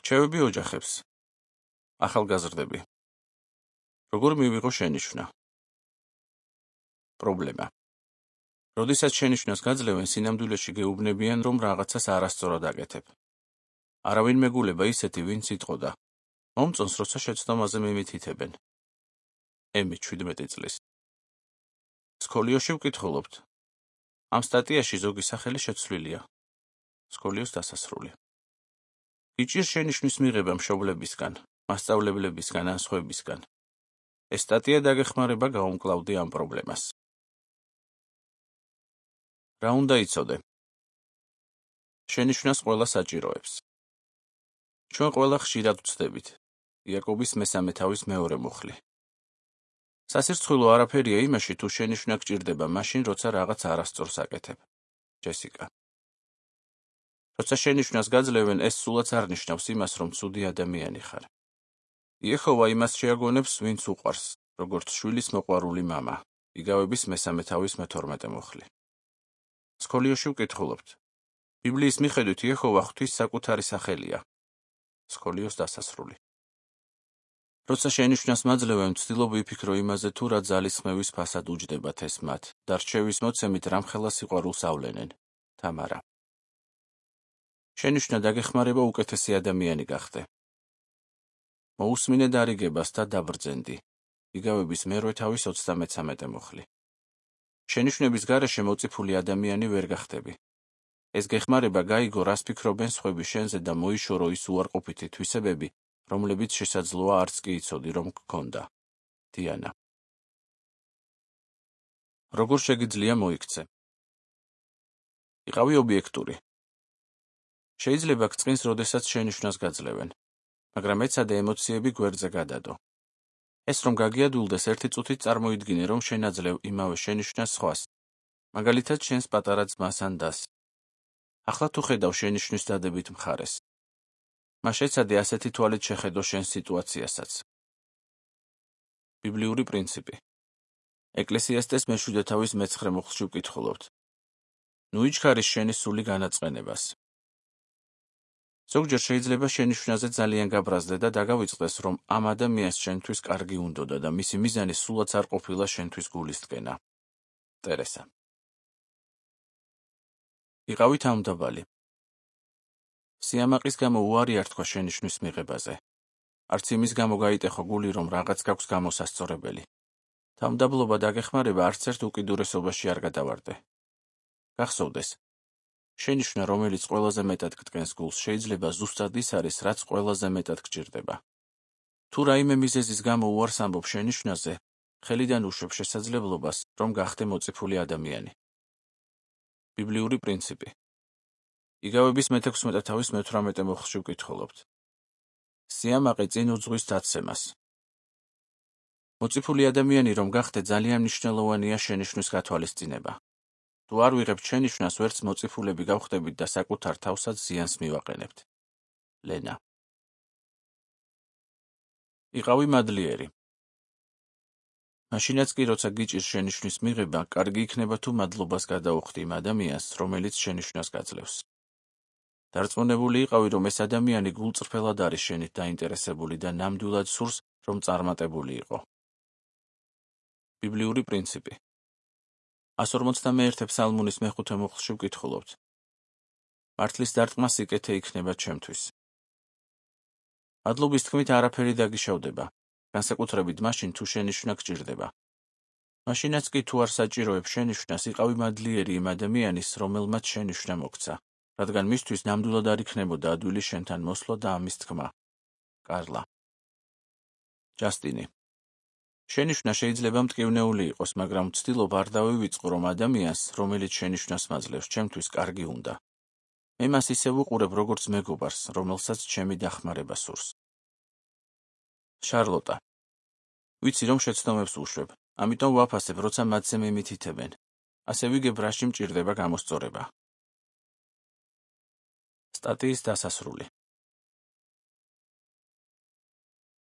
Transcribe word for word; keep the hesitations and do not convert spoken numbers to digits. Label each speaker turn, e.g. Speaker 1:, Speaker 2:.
Speaker 1: რჩევები ოჯახებს. ახალგაზრდები. როგორ მივიღო შენიშვნა? პრობლემა. როდესაც შენიშვნას გაძლევენ, სინამდვილეში გეუბნებიან, რომ რაღაცას არასწორად აკეთებ. არავინ მეგულება ისეთი, ვინც იტყოდა. მომწონს, როცა შეცდომაზე მიმითითებენ. ემი ჩვიდმეტი წლის. სკოლიოში ვკითხულობთ. ამ სტატიაში ზოგი სახელი შეცვლილია. სკოლიოს დასასრული. გიჭირს შენიშვნის მიღება მშობლებისგან, მასწავლებლებისგან ან სხვებისგან. ეს სტატია დაგეხმარება გაუმკლავდი ამ პრობლემას. რა უნდა იცოდე? შენიშვნას ყველა საჭიროებს. ჩვენ ყველა ხშირად ვცდებით. იაკობის მესამე თავის მეორე მუხლი. სასირცხვილო არაფერია იმაში, თუ შენიშვნა გჭირდება მაშინ, როცა რაღაც არასწორს აკეთებ. ჯესიკა. როცა შენიშვნას გაძლევენ, ეს სულაც არ ნიშნავს იმას, რომ ცუდი ადამიანი ხარ. იეჰოვა იმას შეაგონებს, ვინც უყვარს, როგორც შვილის მოყვარული მამა. იგავების მესამე თავის მეთორმეტე მუხლი. სკოლიოში ვკითხულობთ. ბიბლიის მიხედვით იეჰოვა ღვთის საკუთარი სახელია. სკოლიოს დასასრული. როცა შენიშვნას მაძლევენ, ვცდილობ ვიფიქრო იმაზე, თუ რა ძალისხმევის ფასად უჯდებათ ეს მათ და რჩევის მოცემით რამხელა სიყვარულს ავლენენ. თამარა. შენიშვნა დაგეხმარება უკეთესი ადამიანი გახდე. მოусმინე დარიგებას და დაბრძენდი. იგავების მერვე თავის ოცდამეცამეტე მუხლი. შენიშვნების გარეშე მოწიფული ადამიანი ვერ გახდები. ეს გეხმარება გაიგო, რას ფიქრობენ სხვები შენზე და მოიშორო ის უარყოფითი თვისებები, რომლებიც შესაძლოა არც კი იცოდი, რომ გქონდა. დიანა. როგორ შეგიძლია მოიქცე? იყავი ობიექტური. შეიძლება გწყინს, როდესაც შენიშვნას გაძლევენ, მაგრამ ეცადე ემოციები გვერდზე გადადო. ეს რომ გაგიადვილდეს, ერთი წუთით წარმოიდგინე, რომ შენაძლევ იმავე შენიშვნას სხვას, მაგალითად შენს პატარა ძმას ან დას. ახლა თუ ხედავ შენიშვნის დადებით მხარეს. მას ეცადე ასეთი თვალით შეხედო შენს სიტუაციასაც. ბიბლიური პრინციპი. ეკლესიასტეს მეშვიდე თავის მეცხრე მუხლში ვკითხულობთ. ნუ იჩქარის შენი სული განაწყენებას. ზოგჯერ შეიძლება შენიშვნაზე ძალიან გაბრაზდე და დაგავიწყდეს, რომ ამ ადამიანს შენთვის კარგი უნდოდა და მისი მიზანი სულაც არ ყოფილა შენთვის გულისწყენა. ტერესა. იყავი თავმდაბალი. სიამაყის გამო უარი არ თქვა შენიშვნის მიღებაზე. არც იმის გამო გაიტეხო გული, რომ რაღაც გაქვს გამოსასწორებელი. თავმდაბლობა დაგეხმარება არც ერთ უკიდურესობაში არ გადავარდე. გახსოვდეს. შენიშვნა, რომელიც ყველაზე მეტად გტკენს გულს, შეიძლება ზუსტად ის არის, რაც ყველაზე მეტად გჭირდება. თუ რაიმე მიზეზის გამო უარს ამბობ შენიშვნაზე, ხელიდან უშვებ შესაძლებლობას, რომ გახდე მოწიფული ადამიანი. ბიბლიური პრინციპი. იგავების მეთექვსმეტე თავის მეთვრამეტე მუხლში ვკითხულობთ. სიამაყე წინ უძღვის დაცემას. მოწიფული ადამიანი რომ გახდე, ძალიან მნიშვნელოვანია შენიშვნის გათვალისწინება. თუ არ ვიღებთ შენიშვნას, ვერც მოწიფულები გავხდებით და საკუთარ თავსაც ზიანს მივაყენებთ. ლენა. იყავი მადლიერი. მაშინაც კი, როცა გიჭირს შენიშვნის მიღება, კარგი იქნება თუ მადლობას გადაუხდი იმ ადამიანს, რომელიც შენიშვნას გაძლევს. დარწმუნებული იყავი, რომ ეს ადამიანი გულწრფელად არის შენით დაინტერესებული და ნამდვილად სურს, რომ წარმატებული იყო. ბიბლიური პრინციპი. ას ორმოცდამეერთე ფსალმუნის მეხუთე მუხლში ვკითხულობთ. მართლის დარტყმა სიკეთე იქნება ჩემთვის. მადლობის თქმით არაფერი დაგიშავდება, განსაკუთრებით მაშინ, თუ შენიშვნა გჭირდება. მაშინაც კი, თუ არ საჭიროებ შენიშვნას, იყავი მადლიერი იმ ადამიანის, რომელმაც შენიშვნა მოგცა, რადგან მისთვის ნამდვილად არ იქნებოდა ადვილი შენთან მოსვლა და ამის თქმა. კარლა. ჯასტინი. შენიშვნა შეიძლება მტკივნეული იყოს, მაგრამ ვცდილობ არ დავივიწყო, რომ ადამიანს, რომელიც შენიშვნას მაძლევს, ჩემთვის კარგი უნდა. მე მას ისე ვუყურებ, როგორც მეგობარს, რომელსაც ჩემი დახმარება სურს. შარლოტა. ვიცი, რომ შეცდომებს უშვებ, ამიტომ ვაფასებ, როცა მათზე მიმითითებენ. ასე ვიგებ, რაში მჭირდება გამოსწორება. სტატიის დასასრული.